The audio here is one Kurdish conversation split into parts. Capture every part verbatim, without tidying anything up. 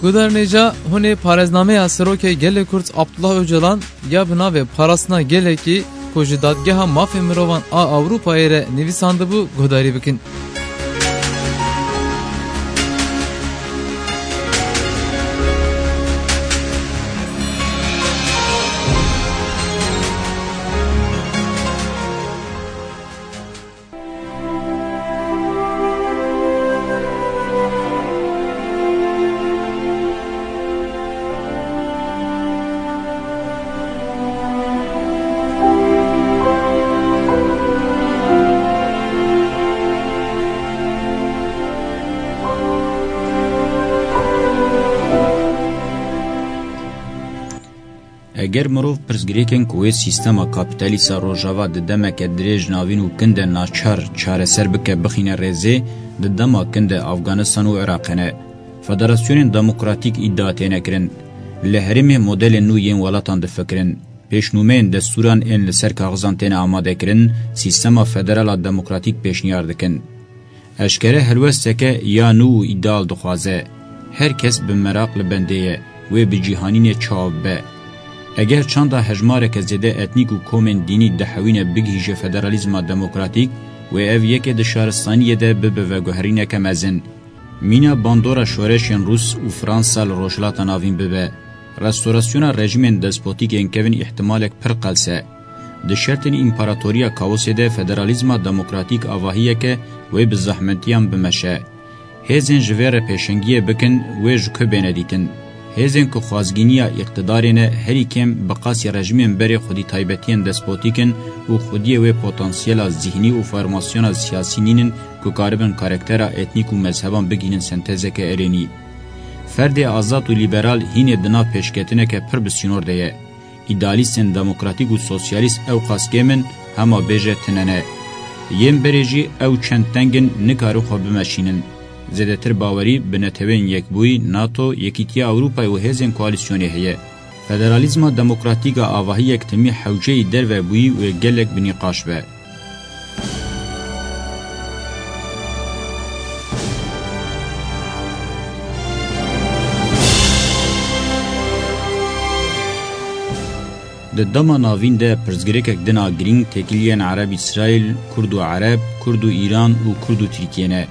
Guhdarên hêja, hûn ê parêznameya Serokê Gelê Kurd Abdullah Ocalan ya bi navê Parastina Gelekî ku ji Dadgeha Mafê Mirovan a Ewropayê re nivîsandibû guhdarî bikin. Eger mirov pirsgirêkên ku wê sîstema kapîtalîst a Rojava di demeke dirêj navîn û kin de naçar çareser bike bixîne rêzê, di dema kin de Afganistan û Iraqê ne. Federasyonên demokratîk îdia têne kirin. Li herêmê modelên nû yên welatan difikirin. Pêşnûmeyên destûran ên li ser kaxizan têne amadekirin, sîstema federal a demokratîk pêşniyar dikin. Eşkere helwesteke ya nû û îdeal dixwaze. Her kes bi meraq li bendê ye, wê bi cîhanînê çawa bibe. Eger çanda hejmareke zêde etnîk û komên dînî dihewîne bigihîje federalîzma demokratîk, wê ev yekê di şaristaniyê de bibe veguherîneke mezin. Mîna bandora şoreşên Rûs û Fransa li Rojhilata Navîn bibe. Restorasyona rejîmên despotîk ên kevin îhtimalek pir qels e. Di şertên împaratoriya kaosê de federalîzma demokratîk avahiyeke wê bi zehmetiyan bimeşe. Hêzên ji vê re pêşengiyê bikin, wê ji ku bêne dîtin? Hêzên ku xwazgîniya îqtidarê ne, herî kêm bi qasî rejîmên berê xwedî taybetiyên despotîk in û xwediyê wê potansiyela zîhnî û formasyona siyasî nînin ku karibin karaktera etnîk û mezheban bigihînin sentezeke erênî. Ferdê azad û lîberal hînê di nav pêşketineke pir bi sînor de ye. Îdealîstên demokratîk û sosyalîst ewqas kêm in, hema bêje tune ne. Yên berê jî ew çend teng in, nikarin xwe bimeşînin. Zêdetir bawerî bi Neteweyên Yekbûyî, nato, Yekîtiya Ewropayê û hêzên koalîsyonê heye. Federalîzma demokratîk a avahî yektimî hewceyî derve bûyî wê gelek bi nîqaş be. Di dema navîn de pirsgirêkek din a girîng têkiliyên Ereb-Îsraîl, Kurd û Ereb, Kurd û Îran û Kurd û Tirkiye ne.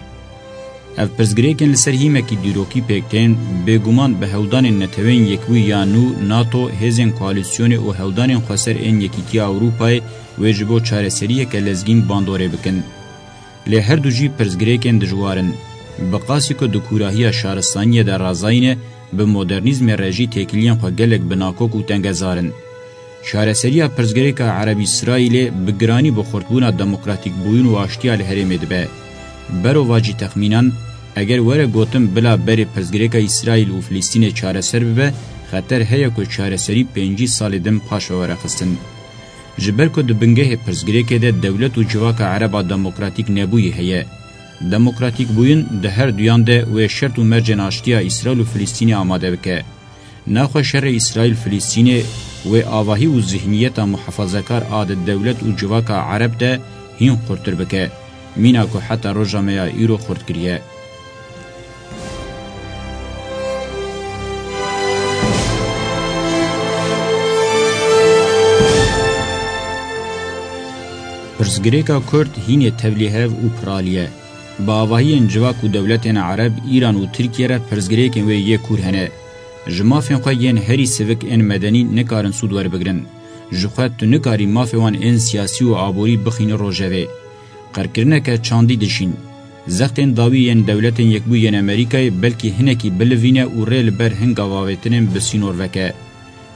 Ev pirsgirêkên li ser hîmekî dîrokî pêk tên, bêguman bi hewldanên Neteweyên Yekbûyî ya nû, nato, hêzên koalîsyonê û hewldanên xweser ên Yekîtiya Ewropayê wê ji bo çareseriyeke lezgîn bandorê bikin. Lê her du jî pirsgirêkên dijwar in. Bi qasî ku di kûrahiya şaristaniyê de razayî ne, bi modernîzmê re jî têkiliyên xwe gelek bi nakok û tengezar in. Çareseriya pirsgirêka Ereb-Îsraîlê bi giranî bi xurtbûna demokratîkbûyîn û aştiya li herêmê dibe. Berovajî texmînan, eger were gotin bila berê pirsgirêka Îsraîl û Filistînê çareser bibe, xeter heye ku çareserî pêncî salê din paş ve were xistin. Ji ber ku di bingehê pirsgirêkê de dewlet û civaka Ereba demokratîk nebûyî heye. Demokratîkbûyîn di her duyan de wê şert û mercên aştiya Îsraîl û Filistînê amade bike. Naxwe şerê Îsraîl-Filistînê wê avahî û zihniyeta muhafazekar a di dewlet û civaka Ereb de hîn xurtir bike, mîna ku heta roja me ya îro xurt kiriye. Pirsgirêka Kurd hînê tevlîhev û piralî ye. Bi avahiyên civak û dewletên Ereb, Îran û Tirkiye re pirsgirêkên wê yê kûr hene. Ji mafên xwe yên herî sivik ên medenî nikarin sûd werbigirin. Ji xwe tu nikarî mafê wan ên siyasî û aborî bixînî rojevê. Qirkirineke çandî dişîn. Zextên dawî yên Dewletên Yekbûyî yên Amerîkayê belkî hinekî bilivîne û rê li ber hin gavavêtinên bi sînor veke.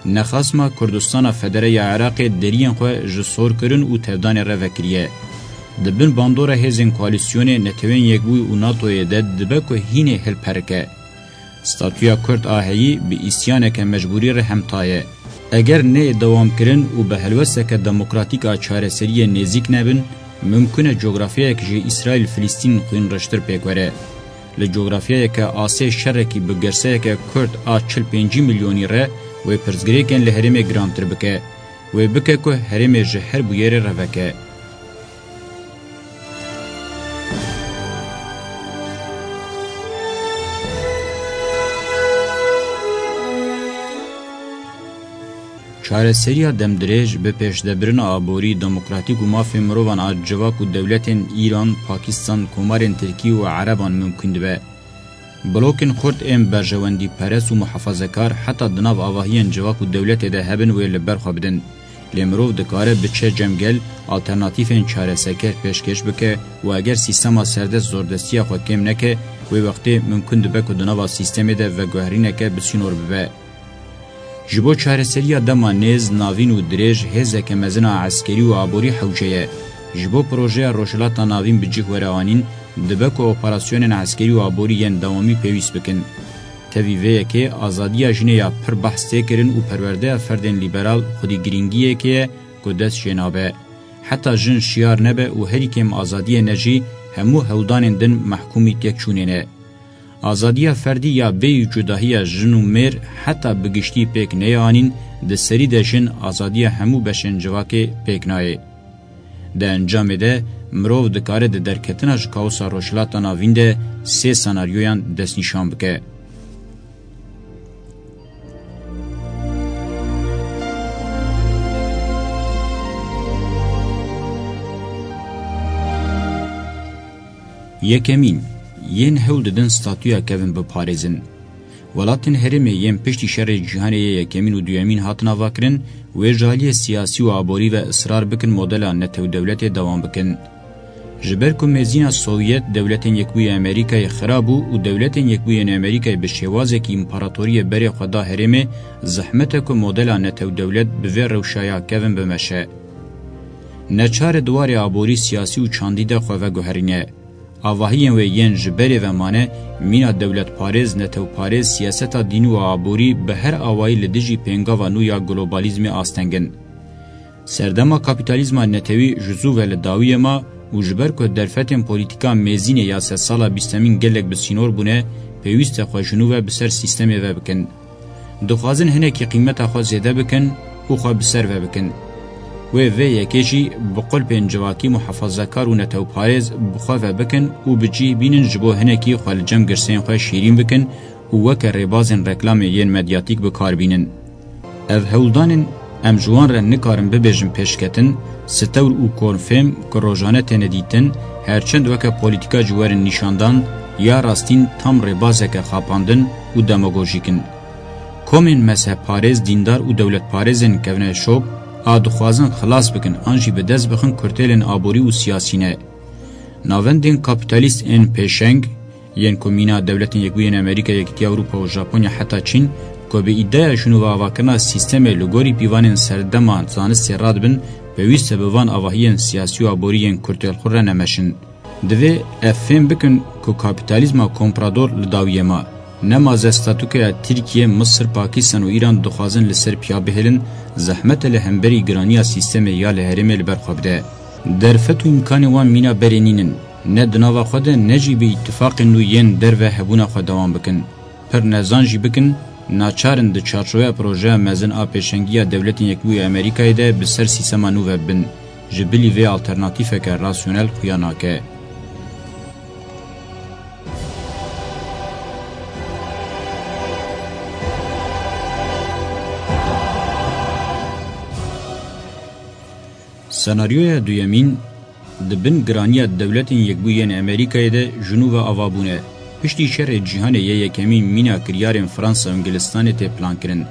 Nexasma Kurdistana Federe ya Iraqê deriyên xwe ji sorkirin û tevdanê re vekiriye. Di bin bandora hêzên koalîsyonê, Neteweyên Yekbûyî û natoyê de dibe ku hînê hilperike. Statûya Kurd a heyî bi îsyaneke mecbûrî re hemta ye. Eger neyê dewamkirin û bi helwesteke demokratîk a çareseriyê nêzîk nebin, mimkun e cografyayek ji Îsraîl-Filistîn xwînreştir pêk were. Li cografyayeke asê şerekî bi girseyeke Kurd a çil pêncî milyonî re wê pirsgirêkên li herêmê girantir bike, wê bike ku herêmê ji her bûyerê re veke. Çareseriya demdirêj bi pêşdebirina aborî, demokratîk û mafên mirovan a civak û dewletên Îran, Pakistan, Komarên Tirkî û Ereban mimkûn dibe. Blokên xurt ên berjewendîperest û muhafazekar heta di nav avahiyên civak û dewletê de hebin wê li ber xwe bidin. Lê mirov dikare biçe cem gel, alternatîfên çareserker pêşkêş bike û eger sîstema serdest zordestiya xwe kêm neke, wê wextê mimkûn dibe ku di nava sîstemê de veguherîneke bi sînor bibe. Ji bo çareseriya dema nêz, navîn û dirêj hêzeke mezin a eskerî û aborî hewce ye. Ji bo projeya Rojhilata Navîn bi cih were anîn, dibe ku operasyonên eskerî û aborî yên dewamî pêwîst bikin. Tevî vê yekê azadiya jinê ya pir behs tê kirin û perwerdeya ferdên lîberal xwedî girîngiyekê ye ku dest jê nabe. Heta jin şiyar nebe û herî kêm azadiyê ne jî, hemû hewldanên din mehkûmî têkçûnê ne. Azadiya ferdî ya bêyî cudahiya jin û mêr heta bi giştî pêk neyê anîn, di serî de jin azadiya hemû beşên civakê pêk nayê. Di encamê de mirov dikare di derketina ji kaosa Rojhilata Navîn de sê senaryoyan destnîşan bike. Yekemîn, yên hewl didin statûya kevin biparêzin. Welatên herêmê yên piştî şerê cîhanê yê yekemîn û duyemîn hatin avakirin, wê ji aliyê siyasî û aborî ve israr bikin modela netewdewletê dewam bikin. Ji ber ku mêzîna Sovyet, Dewletên Yekbûyî Amerîkayê xira bû û Dewletên Yekbûyî yên Amerîkayê bi şêwazekî împaratoriyê berê xwe da herêmê, zehmet e ku modela netewdewlet bi vê rewşa ya kevin bimeşe. Neçar e di warê aborî, siyasî û çandî de xwe veguherîne. Avahiyên wê yên ji berê ve mane, mîna dewletparêz, netewparêz, siyaseta dînî û aborî bi her awayî li dijî pêngava nû ya globalîzmê asteng in. Serdema kapîtalîzma netewî ji zû ve li dawiyê ma û ji ber ku derfetên polîtîka mêzînê ya sedsala bîstemîn gelek bi sînor bûne, pêwîst e xwe ji nû ve bi ser sîstemê ve bikin. Dixwazin hinekî qîmeta xwe zêde bikin û xwe bi ser ve bikin. Wê vê yekê jî bi qulpên civakî muhafazekar û netewparêz bi xwe ve bikin û bi cih bînin, ji bo hinekî xwe li cem girseyên xwe şîrîn bikin û weke rêbazên reklamê yên medyatîk bi kar bînin. Ev hewldanên em ji wan re nikarin bibêjin pêşketin, stewr û konfêm ku rojane têne dîtin, her çend weke polîtîka jî werin nîşandan, ya rastîn tam rêbazeke xapandin û demagojîk in. Komên mezhebparêz, dîndar û dewletparêzên kevneşop a dixwazin xilas bikin an jî bi dest bixin kurtêlên aborî û siyasî ne. Navendên kapîtalîst ên pêşeng, yên ku mîna Dewletên Yekbûyî yên Amerîka, Yekîtiya Ewropa û Japonya heta Çîn, ku bi îdeya jinûveavakirina sîstemê li gorî pîvanên serdema zanistê radibin, pêwîst e bi van avahiyên siyasî û aborî yên kurtêlxwe re nemeşin. Divê ev fêm bikin ku kapîtalîzma komprador li dawiyê ma. Nema ze statûkoya Tirkiye, Misir, Pakistan û Îran dixwazin li ser piya bihêlin, zehmet e li hemberî giraniya sîstemê ya li herêmê li ber xwe bide. Derfet û îmkanên wan mîna berê nînin. Ne di nava xwe de ne jî bi îtifaqên nû yên derve hebûna xwe dewam bikin. Pir nezan jî bikin, naçar in di çarçoveya projeya mezin a pêşengiya Dewletên Yekbûyî Amerîkayê de bi ser sîstema nû ve bin. Ji bilî vê alternatîfeke rasyonel xuya nake. Senaryoya duyemîn, di bin giraniya Dewletên Yekbûyî yên Amerîkayê de ji nû ve ava bûne. Piştî şerê cîhanê yê yekemîn mîna kiryarên Fransa û Îngilistanê tê plankirin.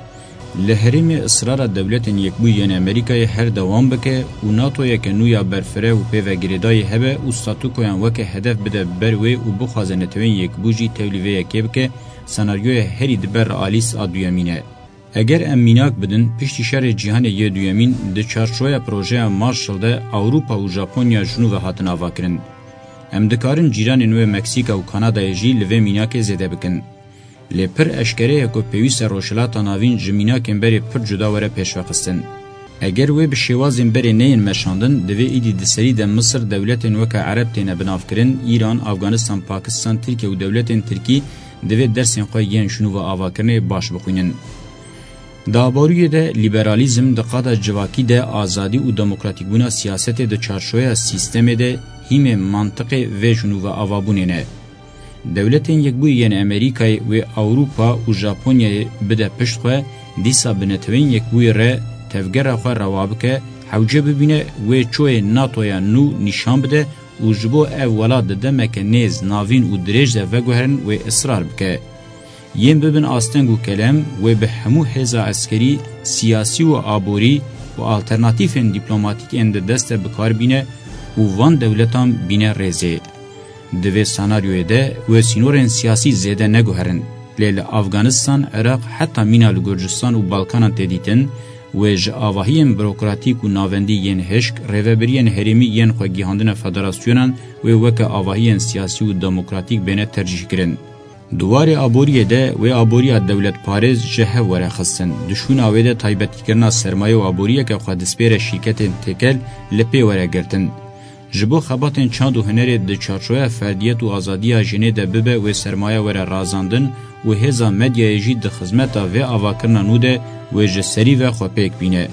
Li herêmê israra Dewletên Yekbûyî yên Amerîkayê her dewam bike û NATOyeke nû ya berfireh û pê ve girêdayî hebe û statûkoyan weke hedef bide ber wê û bixwaze Neteweyên Yekbû jî tevlî vê yekê bike, senaryoya herî di ber realîst a duyemîn e. Eger em mînak bidin, piştî şerê cîhanê yê duyemîn di çarçoveya projeya Marshall de Ewropa û Japonya ji nû ve hatin avakirin. Em dikarin cîranên wê Meksîka û Kanadayê jî li vê mînakê zêde bikin. Lê pir eşkere ye ku pêwîst e Rojhilata Navîn ji mînakên berê pir cuda were pêşvexistin. Eger wê bi şêwazên berê neyên meşandin, divê îdî di serî de Misir dewletên weke Ereb têne binavkirin, Îran, Afganistan, Pakistan, Tirkiye û dewletên Tirkî divê dersên xwe yên ji nû ve avakirinê baş bixwînin. Di aboriyê de lîberalîzm, di qada civakî de azadî û demokratîkbûna siyasetê di çarçoveya sîstemê de hîmê mantiqê vê ji nû ve avabûnê ne. Dewletên Yekbûyî yên Amerîkayê wê Ewropa û Japonyayê bide pişt xwe, dîsa bi Neteweyên Yekbûyî re tevgera xwe rewa bike, hewce bibîne wê çoyê NATOya nû nîşan bide û ji bo ev welat di demeke nêz, navîn û dirêj de veguherin wê israr bike. Yên bibin asteng û kelem wê bi hemû hêza eskerî, siyasî û aborî û alternatîfên dîplomatîk ên di dest de bi kar bîne û van dewletan bîne rêzê. Di vê senaryoyê de wê sînorên siyasî zêde neguherin, lê li Afganistan, Iraq, heta mîna li Gurcistan û Balkanan tê dîtin, wê ji avahiyên burokratîk û navendî yên hişk, rêvebiriyên herêmî yên xwe gihandine federasyonan wê weke avahiyên siyasî û demokratîk bêne tercîhkirin. Di warê aboriyê de wê aboriya dewletparêz ji hev were xistin. Di şûna wê de taybetîkirina sermaye û aboriyeke xwe dispêre şîrketên têkel li pê were girtin. Ji bo xebatên çand û hunerê di çarçoveya ferdiyet û azadiya jinê de bibe wê sermaye were razandin û hêza medyayê jî di xizmeta vê avakirina nû de wê ji serî ve xwe pêk bîne.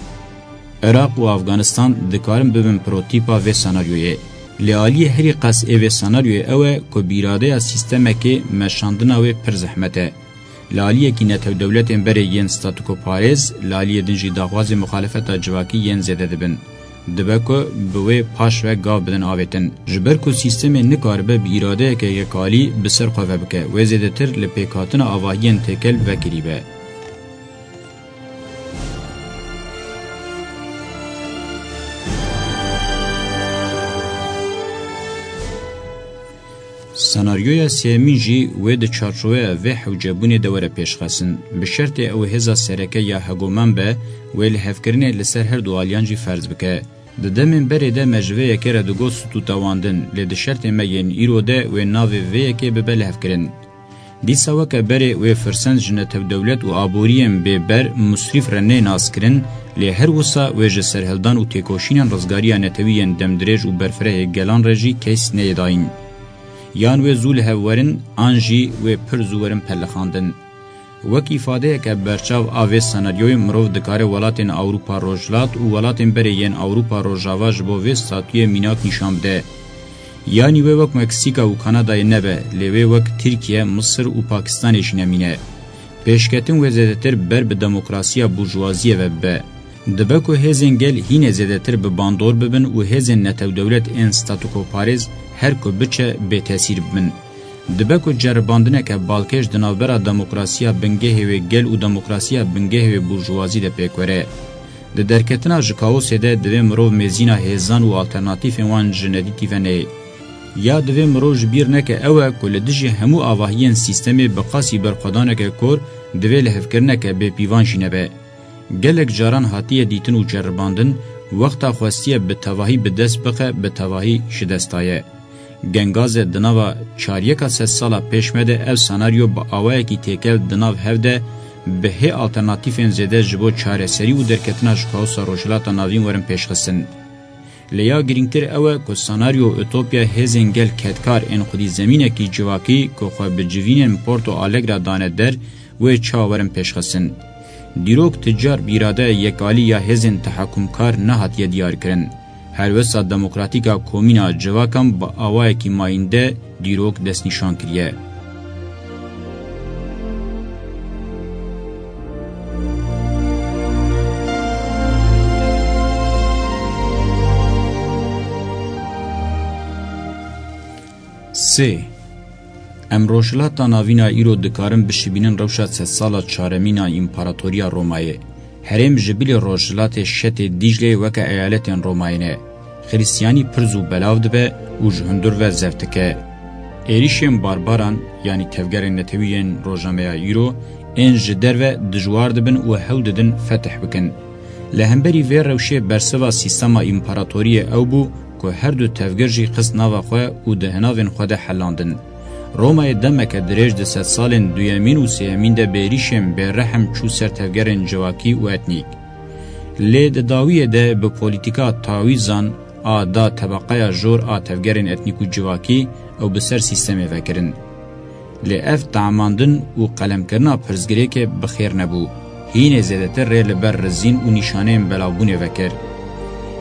Iraq û Afganistan dikarin bibin prototîpa vê senaryoyê. Lê aliyê herî qas ê vê senaryoyê ew e ku bi îradeya sîstemekê meşandina wê pir zehmet e. Li aliyekî netewdewletên berê yên statûkoparêz, li aliyê din jî daxwazên muxalefeta civakî yên zêde dibin. Dibe ku bi wê paş ve gav bidin avêtin. Ji ber ku sîstemê nikaribe bi îradeyeke yekalî bi ser xwe ve bike, wê zêdetir li pêkhatina avahiyên têkel vekirî be. Senaryoya sêyemîn jî wê di çarçoveya vê hewcebûnê de were pêşxestin. Bi şertê ew hêza sereke ya hegoman be, wê lihevkirinê li ser her du aliyan jî ferz bike. Di demên berê de me ji vê yekê re digot stûtewandin, lê di şertê me yên îro de wê navê vê yekê bibe lihevkirin. Dîsa weke berê wê firsend ji netewdewlet û aboriyên bêber, musrîf re nê naskirin, lê her wisa wê ji serhildan û têkoşînên rizgariya netewî yên demdirêj û berfirehê gelan re jî keys neyê dayîn. Yan wê zû li hev werin, an jî wê pir zû werin pelixandin. Wek îfadeyeke berçav a vê senaryoyê mirov dikare welatên Ewropa Rojhilat û welatên berê yên Ewropa Rojava ji bo vê statuyê mînak nîşan bide. Yanî wê wek Meksîka û Kanadayê nebe, lê wê wek Tirkiye, Misir û Pakistanê jî nemîne. Pêşketin wê zêdetir ber bi demokrasiya burjuvaziyê ve bibe. Dibe ku hêzên gel hînê zêdetir bi bandor bibin û hêzên netewdewlet ên statûkoparêz her ku biçe bêtesîr bibin. Dibe ku ceribandineke balkêş di navbera demokrasiya bingehê wê gel û demokrasiya bingehê wê burjuvazî de pêk were. Di derketina ji kaosê de divê mirov mêzîna hêzan û alternatîfên wan ji nedîtî ve neyê. Ya divê mirov ji bîr neke ew e ku li dijî hemû avahiyên sîstemê bi qasî berxwedaneke kor divê lihevkirineke bêpîvan jî nebe. Gelek caran hatiye dîtin û ceribandin, wexta xwestiye bi tevahî bi dest bixe, bi tevahî ji dest daye. Gengaze di nava çaryeka sedsala pêş me de ev senaryo bi awayekî têkel di nav hev de bi hê alternatîfên zêde ji bo çareserî û derketina ji kaosa Rojhilata Navîn werin pêşxistin. Lê ya girîngtir ew e ku senaryo utopya hêzên gel kedkar ên xwedî zemînekî civakî ku xwe bi civînên Porto Alegre dane der, wê çawa werin pêşxistin. Dîrok ti car bi îradeya yekalî ya hêzên tehakumkar nehatiye diyarkirin. Helwesta demokratîk a komîna civakan bi awayekî mayînde dîrok destnîşan kiriye. Sê. Em Rojhilata Navîn a îro dikarin bişibînin rewşa sedsala çaremîn a Împaratoriya Romayê. Herêm ji bilî Rojhilatê Şetê Dîcleyê weke eyaletên Romayê ne. Xiristiyanî pir zû belav dibe û ji hundir ve zeft dike. Êrîşên barbaran, yanî tevgerên netewî yên roja me ya îro, ên ji derve dijwar dibin û hewl didin fetih bikin. Li hemberî vê rewşê bersiva sîstema împaratoriyê ew bû ku her du tevger jî xist nava xwe û di hinavên xwe de helandin. Romayê demeke dirêj di sedsalên duyemîn û sêyemîn de bi êrîşên bêrehem çû ser tevgerên civakî û etnîk. Lê di dawiyê de bi polîtîka tawîzan a da tebeqeya jor a tevgerên etnîk û civakî ew bi ser sîstemê vekirin. Lê ev tamandin û qelemkirina pirsgirêkê bi xêr nebû. Hînê zêdetir rê li ber rizîn û nîşaneyên belavbûnê vekir.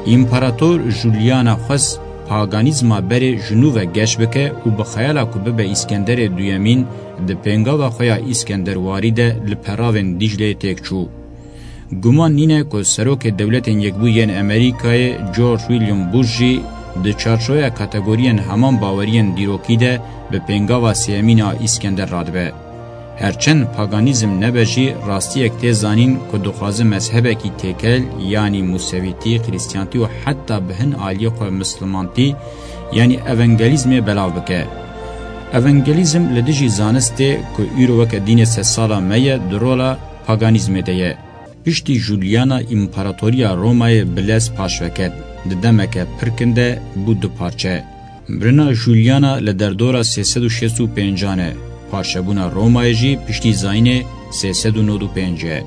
Împarator Juliana xwest paganîzma berê ji nû ve geş bike û bi xeyala ku bibe Îskenderê Duyemîn, di pêngava xwe ya Îskenderwarî de li peravên Dîcleyê têk çû. Guman nîne ku Serokê Dewletên Yekbûyî yên Amerîkayê George William Bush jî di çarçoveya kategoriyên heman baweriyên dîrokî de bi pêngava sêyemîn a Îskender radibe. Her çend paganîzm nebe jî, rastiyek tê zanîn ku dixwaze mezhebekî têkel, yanî Musevîtî, Xrîstiyantî û heta bi hin aliyê xwe Mislimantî, yanî Evangelîzmê belav bike. Evangelîzm li dijî zanistê ku îro weke dînê sedsala me ye, di rola paganîzmê de ye. Piştî Juliana, împaratoriya Romayê bi lez paşve ket. Di demeke pir kin de bû du parçe. Mirina Juliana li derdora sê sed û şêst û pêncan e. Parçebûna Romayê jî piştî zayînê sê sed û nod û pênc e.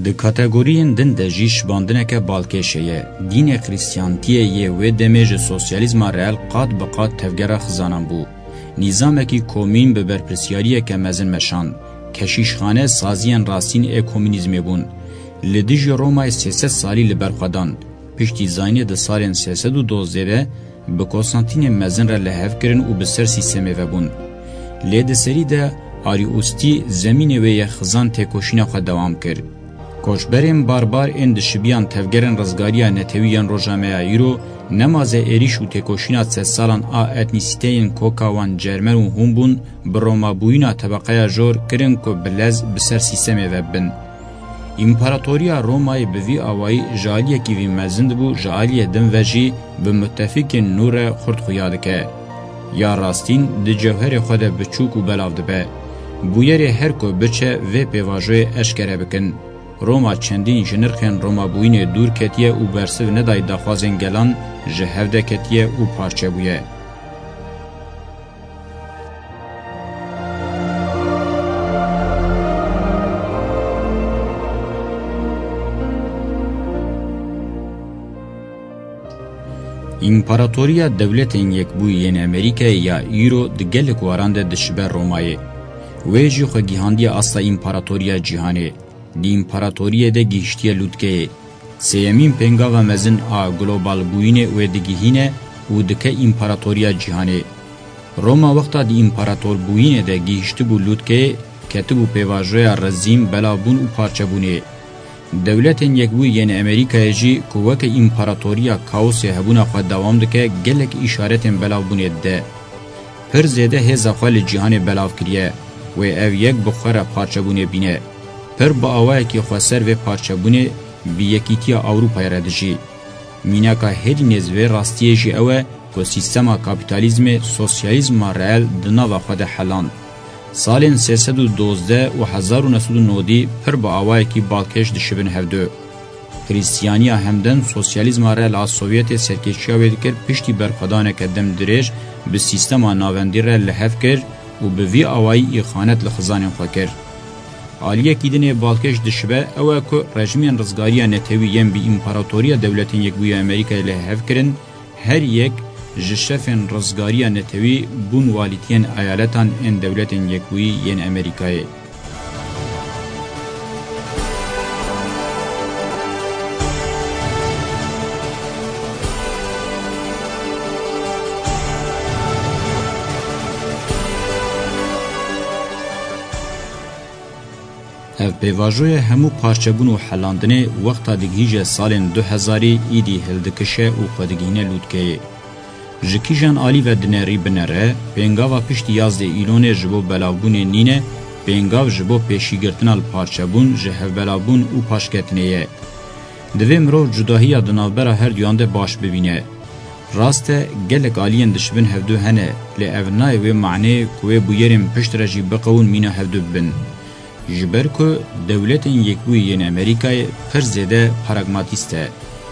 Di kategoriyên din de jî şibandineke balkêş heye. Dînê Xrîstiyantiyê yê wê demê ji sosyalîzma reel qat bi qat tevgera xizanan bû. Nîzamekî komîn bi berpirsyariyeke mezin meşand. Keşîşxane saziyên rastîn ê komînîzmê bûn. Li dijî Romayê sê sed salî li ber xwe dan. Piştî zayînê di salên sê sed û dozdeh de bi Konstantînê Mezin re li hev kirin û bi ser sîstemê ve bûn. Lê di serî de Arîustî zemînê wê yê xizan têkoşîna xwe dewam kir. Koçberên barbar ên dişibiyan tevgerên rizgariya netewî yên roja me ya îro, nema zê êrîş û têkoşîna sedsalan a etnîsîteyên koka wan Cermen û Hûn bûn, bi Romabûyîna tebeqeya jor kirin ku bi lez bi ser sîstemê ve bibin. Împaratoriya Romayê bi vî awayî ji aliyekî vî mezin dibû, ji aliyê din ve jî bi mutefîkên nû re xurt xuya dike. Ya rastîn di cewherê xwe de biçûk û belav dibe. Bûyerê her ku biçe vê pêvajoyê eşkere bikin. Roma çendîn ji nirxên Romabûyînê dûr ketiye û bersiv nedayê daxwazên gelan ji hev de ketiye û parçe bûye. Împaratoriya Dewletên Yekbûyî yên Amerîkayê ya îro di gelek waran de dişibe Romayê. Wê jî xwe gihandiye asta împaratoriya cîhanê. Di împaratoriyê de gihiştiye lûtkeyê. Sêyemîn pêngava mezin a globalbûyînê wê digihîne û dike împaratoriya cîhanê. Roma wexta di împaratorbûyînê de gihiştibû lûtkeyê, ketibû pêvajoya rezîm, belavbûn û parçebûnê. Dewletên Yekbûyî yên Amerîkayê jî ku weke împaratoriya kaosê hebûna xwe dewam dike, gelek îşaretên belavbûnê dide. Pir zêde hêza xwe li cîhanê belav kiriye. Wê ev yek bi xwe re parçebûnê bîne. Pir bi awayekî xweser vê parçebûnê bi yekîtiya Ewropayê re dijî. Mînaka herî nêz vê rastiyê jî ew e ku sîstema kapîtalîzmê sosyalîzma reel di nava xwe de heland. Salên sê sed û dozdeh û hezar û neh sed û nodî pir bi awayekî balkêş dişibin hevdu. Xrîstiyaniya hemdem sosyalîzma reel a Sovyetê serkêşiya wê dikir, piştî berxwedaneke dem dirêj bi sîstema navendî re li hev kir û bi vî awayî îxanet li xizanên xwe kir. Aliyekî din ê balkêş dişibe ew e ku rejimên rizgariya netewî yên bi Împaratoriya Dewletên Yekbûyî ya Amerîkayê li hev kirin, her yek ji şefên rizgariya netewî bûn walîtiyên eyaletan ên Dewletên Yekbûyî yên Amerîkayê. Ev pêvajoya hemû parçebûn û helandinê wexta digihîje salên du hezarî îdî hildikişe û xwe digihîne lûtkeyê. Ji kîjan alî ve dinerî binere, pêngava piştî yazdê îlonê ji bo belavbûnê nîne, pêngav ji bo pêşîgirtina li parçebûn, ji hevbelavbûn û paşketinê ye. Divê mirov cudahiya di navbera her duyan de baş bibîne. Rast e, gelek aliyên dişibin hevdu hene, lê ev nayê wê maneyê ku wê bûyerên pişt re jî biqewin mîna hevdu bibin. Ji ber ku Dewletên Yekbûyî yên Amerîkayê pir zêde pragmatîst e.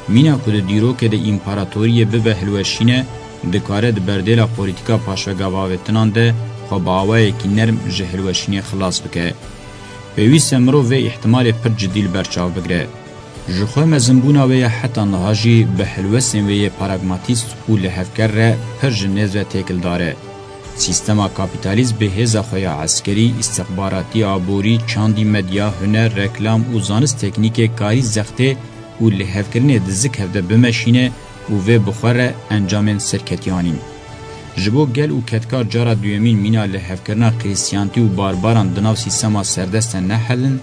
Mîna ku di dîrokê de împaratoriyê bibe hilweşîne, dikare di berdêla polîtîka paşvegahavêtinan de xwe bi awayekî nerm ji hilweşînê xilas bike. Pêwîst e mirov vê îhtimalê pir cidî li ber çav bigire. Ji xwe mezinbûna wê ya heta niha jî bi helwestên wê yê pragmatîst û lihevker re pir ji nêz ve têkildar e. Sîstema kapîtalîst bi hêza xwe ya eskerî, îstixbaratî, aborî, çandî, medya, huner, reklam û zanist teknîkê karî zextê û lihevkirinê di zik hev de bimeşîne û vê bi xwe re encamên serketiyan in. Ji bo gel û kedkar cara duyemîn mîna li hevkirina krîstiyantî û barbaran di nav sîstema serdest de nehelin,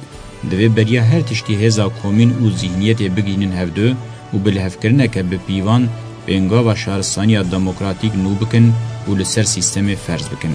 divê beriya her tiştî hêza komîn û zîhniyetê bigihînin hevdu û bi lihevkirineke bi pîvan pêngava şaristaniya demokratîk nû bikin û li ser sîstemê ferz bikin.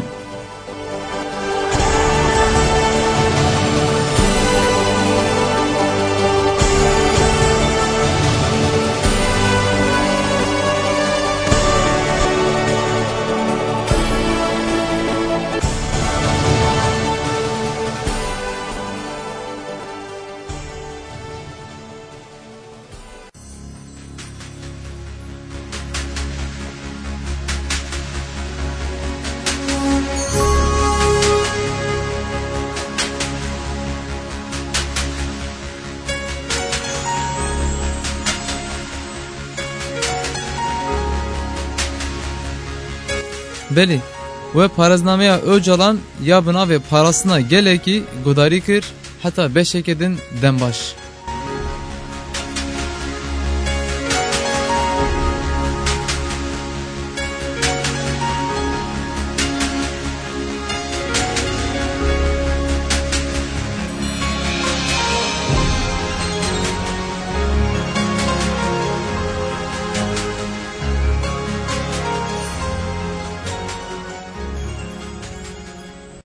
Belê, we parêznameya Ocalan ya bi navê Parastina Gelekî guhdarî kir, heta beşeke din dem baş.